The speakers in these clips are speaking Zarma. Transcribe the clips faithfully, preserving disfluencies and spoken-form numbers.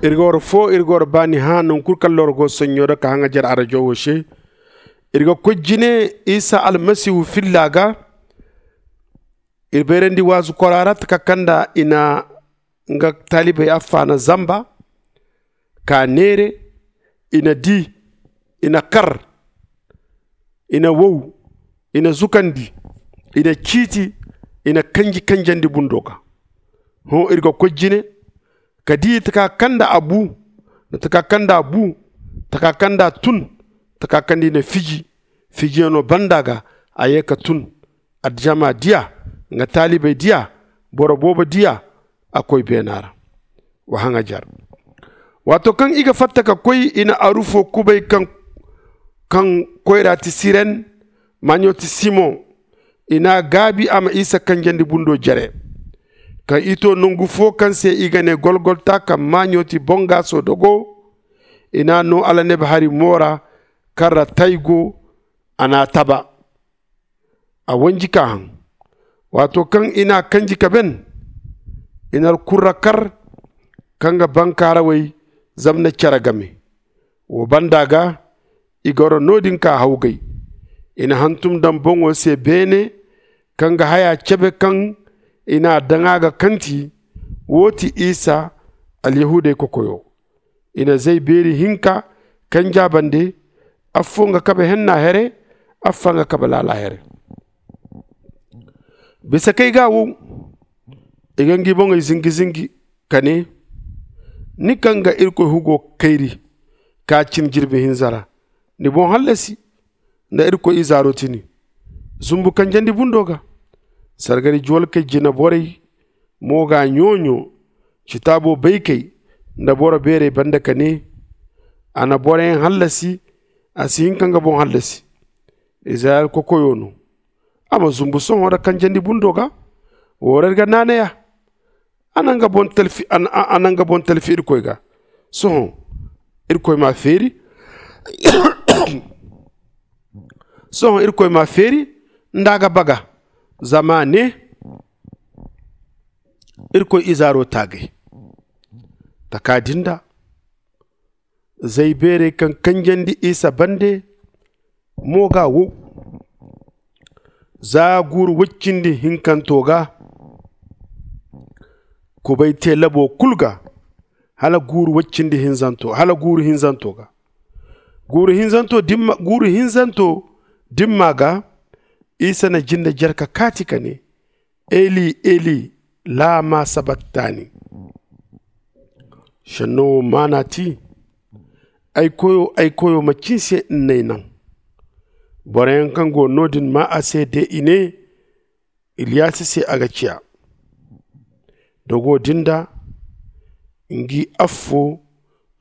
Iri ga war fo iri ga war baani hã nangu kulu kaŋ loro go sonɲo da ka haŋajer arajo wo se. Iri ga koy jine isa almasihu filla ga. Iri bayrandi waazu kwara ra taka kaŋ nda i na nga taalibey affaana zamba ka neere. I na di, i na kar, i na wow, i na zukandi, i na ciiti, i na kanji kanjandi bundo ga. Hõ iri ga koy jine ka di taka kaŋ nda a bu, nda taka kaŋ nda a bu, taka kaŋ nda a tun, taka kaŋ nda i na fiji. Fijiyano banda ga a ye ka tun. Aljama di a, nga taalibey di a, boro boobo di a. A koy beena ra. Wa haŋajer. Waato kaŋ i ga fatta ka koy i na arufo kubay kaŋ koyra ti siren, maaɲo ti simoŋ. I n'a gaabi a ma isa kanjandi bundo jere. Kaŋ i to nangu fo kaŋ se i ga ne golgolta kaŋ maaɲo ti boŋgaaso dogo. I n'a no alaneb hari mo ra kaŋ ra tay go. A n'a taba. A wanji ka haŋ. Waato kaŋ i n'a kanji ka ben, i na alkurra kar kaŋ ga bankaarawey zamna care game. Wo banda ga i goro no-din ka hawgay. I na hantum daŋ boŋo se beene kaŋ ga haya cebe kaŋ i n'a daŋ a ga kanti. Wo ti isa alyahuudey kokoyo. I na zay beeri hinka kanj'a bande. Affo nga kabe henna here, affa nga kabe laala here. Bisa kay ga wo i ga ngi boŋey zingi zingi ka ne, ni kaŋ ga irkoy hugo kayri ka cin jirbi hinza ra, ni boŋ hallasi nda irkoy izaaro tini. Zumbu kanjandi bundo ga sargari juwalkey jina borey mo ga ɲooɲo citaabo baykey nda boro beerey banda ka ne, a na boroyaŋ hallasi. A si hin ka nga boŋ hallasi. Izirayel kokoyo no. A ma zumbu sohõ nda kanjandi bundo ga. Wo ra iri ga naanay a. A na nga boŋ talfi irkoy ga. Sohõ irkoy m'a feeri. Sohõ irkoy m'a feeri nda a ga baga. Zama a ne irkoy izaaro taagay. Taka din da zay beerey kaŋ kanjandi isa bande mo ga wow. Za guuru woy cindi hinkanto ga kubay te labo kulu ga hala guuru woy cindi hinzanto hala guuru hinzanto ga. Guuru hinzanto dimma ga isa na jinde jare ka kaati ka ne, eli eli, lama sabattani? Senno wo maana ti, ay koyo ay koyo macin se n'ay naŋ? Boroyaŋ kaŋ go no din maa a se de i ne, iliyasi se a ga ciya. Dogo din da ngi affo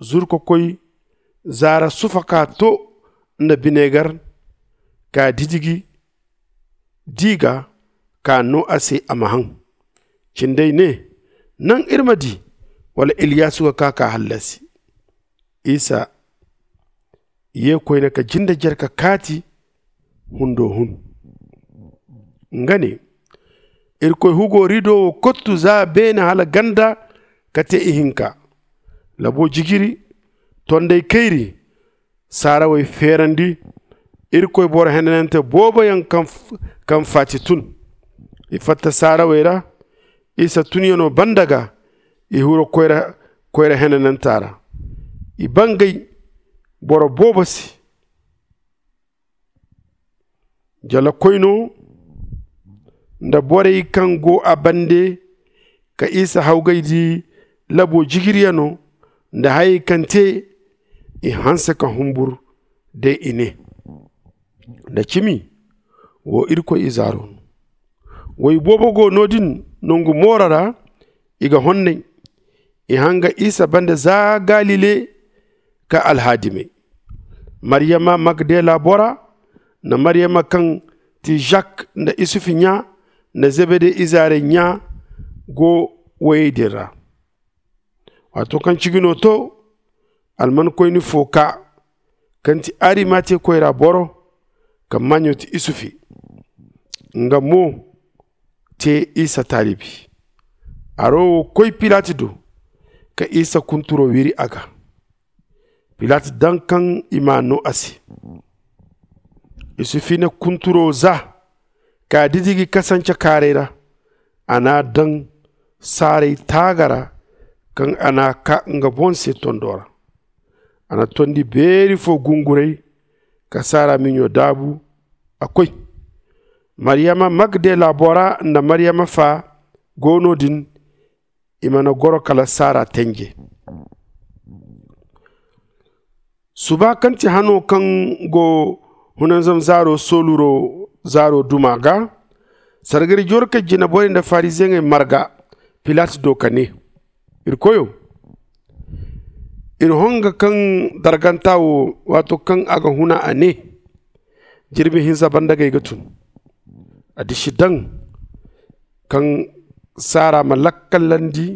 zuru ka koy zaara sufa ka to nda binegar ka didigi di ga ka no a se a ma haŋ. Cindey ne, naŋ iri ma di wala iliyasu ga ka ka hallasi? Isa ye koyne ka jinde jare ka kaati hundo hun. Nga ne, irkoy hugo rido wo kottu za beene hala ganda ka te ihinka. Labo jijiri, tondey kayri, saarawey feerandi. Irkoy boro henanante booboyaŋ kaŋ faati tun. I fatta saarawey ra isa tunyano banda ga. I huru koyra henananta ra. I bangay boro boobo se. Jalakoyno nda borey kaŋ go a bande ka isa hawgay di labo jijiriyano nda hayey kaŋ te, i hanse ka humbur day i ne, nda cimi wo irkoy izaaro no. Woy boobo go no- din nangu mooro ra. I ga honnay. I hanga isa bande za galile ka alhaadimey. Maryama magdela bora nda maryama kaŋ ti zak nda isufu ɲa nda zebede izaarey ɲa go woyey din ra. Waato kaŋ cigino to, almankoyni fo kaa kaŋ ti arimate koyra boro, kaŋ maaɲo ti isufi, nga mo te isa taalibi. Aro wo koy pilati do ka isa kunturo wiri a ga. Pilat daŋ kaŋ i m'a no a se. I si fine kunturo za ka didigi kasance kaaray ra. A n'a daŋ saaray taaga ra kaŋ a n'a kaa nga boŋ se tondo ra. A na tondi beeri fo gunguray ka saara miɲo daabu. A koy. Maryama magdela bora nda maryama fa go no-din. I mana goro kala saara tenje. Suba kaŋ ti hano kaŋ go hunanzam zaaro sooluro zaaro duma ga, sargari jorkey jinaborey nda fariziyeŋey marga pilat do ka ne, iri koyo, iri honga kaŋ darganta wo, waato kaŋ a ga huna a ne, jirbi hinza banda gay ga tun. A disi daŋ kaŋ saara ma lakkalandi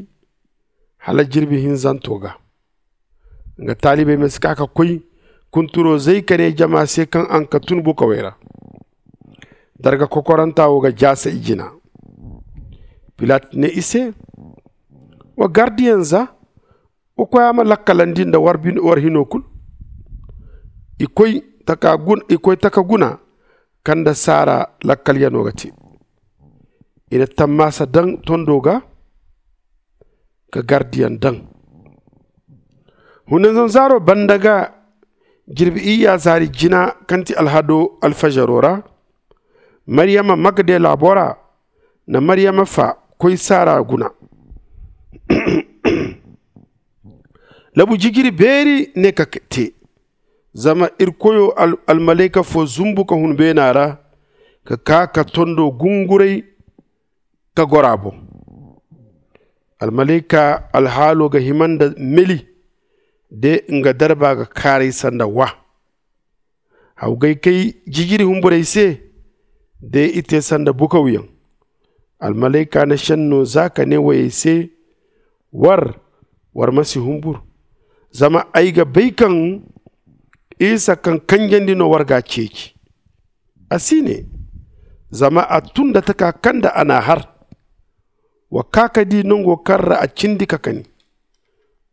hala jirbi hinzanto ga. Nga taalibey ma si kaa ka koy kunturo zay ka ne jama se kaŋ a na ka tun bukawey ra. Darga kokoranta wo ga jaasa i jina. Pilat ne i se, wa gardiyaŋ za, wa koy a ma lakkalandi nda war hino kulu. I koy taka guna kaŋ nda saara lakkalyano ga te. I na tammaasa daŋ tondo ga ka gardiyaŋ daŋ. Hunanzanzaaro banda ga, jirbi iyya zaari jina kaŋ ti alhado alfajaro ra, maryama magdela bora nda maryama fa koy saara guna. Labu jijiri beeri ne ka te. Zama iri koyo almalayka fo zumbu ka hun beena ra ka kaa ka tondo gunguray ka goro a boŋ. Almalayka alhaalo ga hima nda meli de nga darba ga kaaray sanda wa. Hawgay kay jijiri humburey se de i te sanda bukawyaŋ. Almalayka na senno za ka ne woyey se, war war ma si humbur. Zama ay ga bay kaŋ isa kaŋ kanjandi no war ga a ceeci. A si ne, zama a tun nda taka kaŋ nda a n'a har. Wa kaa ka di nango kaŋ ra a cindi ka kani.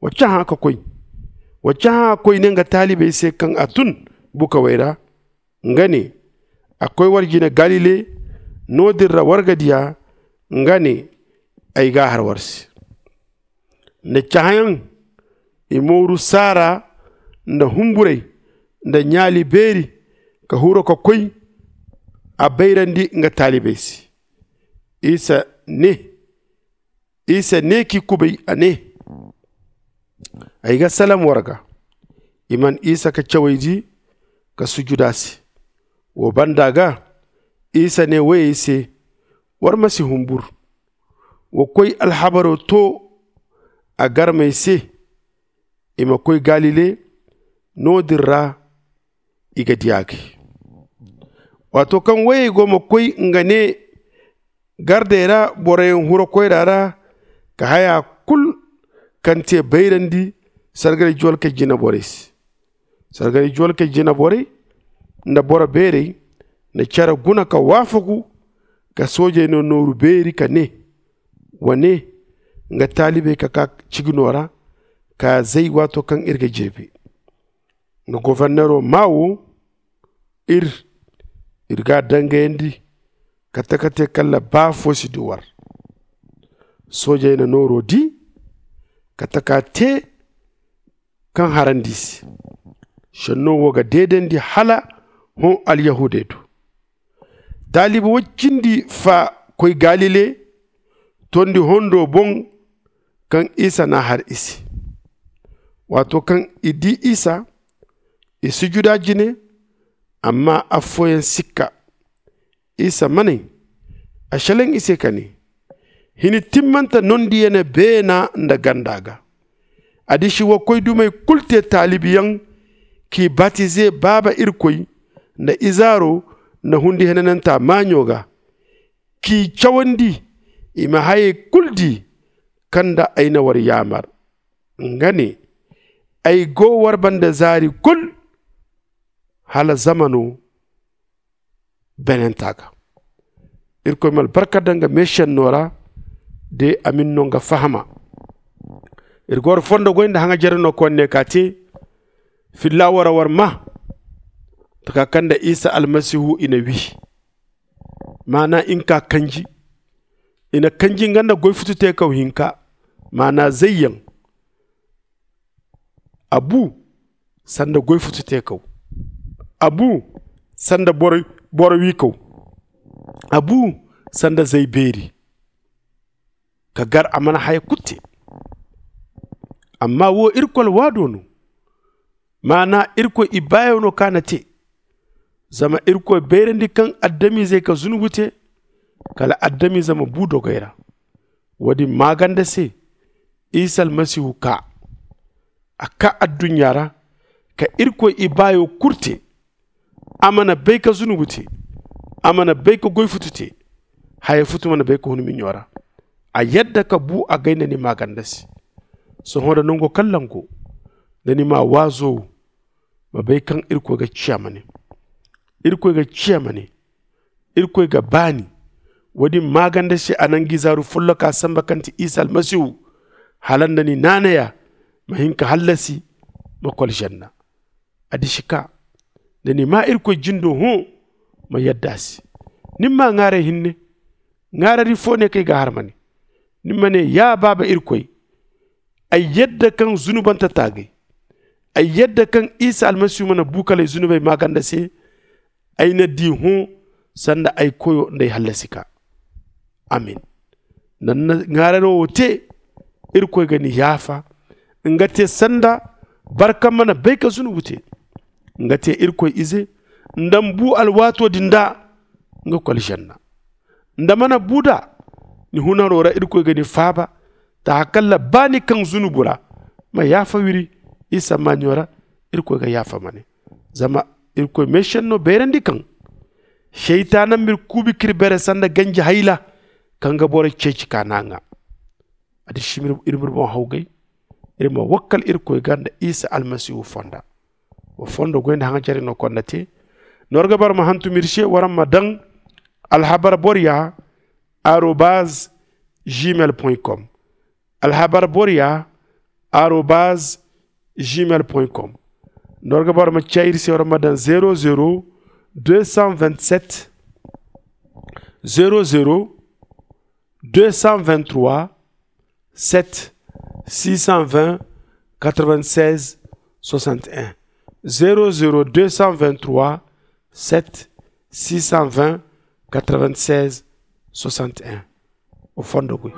Wa cahã ka koy. Wa cahã koyne nga taalibey se kaŋ a tun bukawey ra. Nga ne, a koy war jine galile. No-din ra war ga di a. Nga ne, ay g'a har war se. Nda cahãyaŋ, i mooru saara nda humburey nda ɲaali beeri ka huru ka koy. A bayrandi nga taalibey se. Isa ne isa ne k'i kubay a ne, ay ga salam war ga. I man isa ka cawey di ka sujuda se. Wo banda ga, isa ne woyey se, war ma si humbur. Wa koy alhabaro to a garmey se, i ma koy galile. No-din ra i ga di a gay. Waato kaŋ woyey go ma koy nga ne gardey ra boroyaŋ hura koyra ra ka haya kulu kaŋ te bayrandi sargari juwalkey jina borey se. Sargari juwalkey jina borey nda boro beerey na care guna ka waafagu ka soojey no nooru beeri ka ne, wa ne nga taalibey ka kaa cigino ra ka zay waato kaŋ iri ga jirbi. Nga gofornero maa wo, iri iri g'a dangayandi kate kate kala baa fo si du war. Soojey na nooro di kate ka te kaŋ harandi i se. Senno wo ga deedandi hala hõ alyahuudey do. Taalibi woy cindi fa koy galile tondi hondo boŋ kaŋ isa n'a har i se. Waato kaŋ i di isa, i sujuda jine. Amma affooyaŋ sikka. Isa maney a selaŋ i se ka ne, hini timmante nondiyene beena nda ganda ga. A disi wa koy dumey kulu te taalibiyaŋ k'i batize baaba irkoy nda izaaro nda hundi henananta maaɲo ga, k'i cawandi i ma hayey kulu di kaŋ nda ay na war yaamar. Nga ne, ay go war banda zaari kulu hala zamano benanta ga. Irkoy ma albarka daŋ nga meesenno ra de a ma ni no nga fahama. Iri ga war fondo goy nda haŋajere no koy ne ka te. Filla wara war ma taka kaŋ nda isa almasihu i na wi. Maana i na ka kanji. I na kanji nga nda goy futu teekaw hinka. Maana zayyaŋ. A bu sanda goy futu teekaw. A bu sanda boro wiikaw. A bu sanda zay beeri. Ka gar a mana haya kulu te. Amma wo irkoy alwaado no. Maana irkoy ibaayo no kaŋ a na te. Zama irkoy bayrandi kaŋ adamizey ka zunubu te. Kala adamize ma bu dogey ra. Wo- din maaganda se isa almasihu kaa. A kaa adduɲɲa ra ka irkoy ibaayo kulu te. A mana bay ka zunubu te. A mana bay ka goy futu te. Haya futu mana bay ka hun miɲo ra. A yadda ka bu a gay nda ni maaganda se. Sohõ nda nango kaŋ lango nda ni ma waazo wo ma bay kaŋ irkoy ga ciya ma ne. Irkoy ga ciya ma ne. Irkoy ga baani. Wo- din maaganda se a na nga izaaru folloka samba kaŋ ti isa almasihu. Hala nda ni naanaya ma hin ka hallasi ma koy alžanna. A disi ka nda ni ma irkoy jindo hõ ma yadda a se. Ni ma ŋaaray hinne. Ŋaarari fo ne kaŋ ay ga a har ma ne. Ni ma ne ya baaba irkoy. Ay yadda kaŋ zunubante taagay. Ay yadda kaŋ isa almasihu mana bu kala ay zunubey maaganda se. Ay na di hõ sanda ay koyo nda ay hallasi ka. Amin. Nda ni na ŋaararo wo te irkoy ga ni yaafa. Nga te sanda barka mana bay ka zunubu te. Nga te irkoy ize nda ni bu alwaato din da nga koy alžanna. Nda mana bu da ni hunaro ra irkoy ga ni faaba. Ta hakalla ba ni kaŋ zunubu ra ma yaafa wiri isa maaɲo ra. Irkoy ga yaafa ma ne. Zama irkoy meesenno bayrandi kaŋ seytaana m'iri kuubi k'iri bare sanda ganji hayla kaŋ ga boro ceeci ka naŋ a. A disi iri m'iri boŋ hawgay iri ma wakkal irkoy ga nda isa almasihu fonda. Wa fondo goy nda haŋajare no konda te. Nda war ga bara ma hantum iri se waraŋ ma daŋ alhabar borya arobaz gmail com. Alhabar borya arobaz gmail com. Nda war ga bara ma ciya iri se waraŋ ma daŋ zero zero deux cent vingt sept zero zero deux cent vingt trois sept six cent vingt quatre vingt seize soixante un. Zero zero deux cent vingt trois sept six cent vingt quatre vingt seize soixante un. O fondo goy.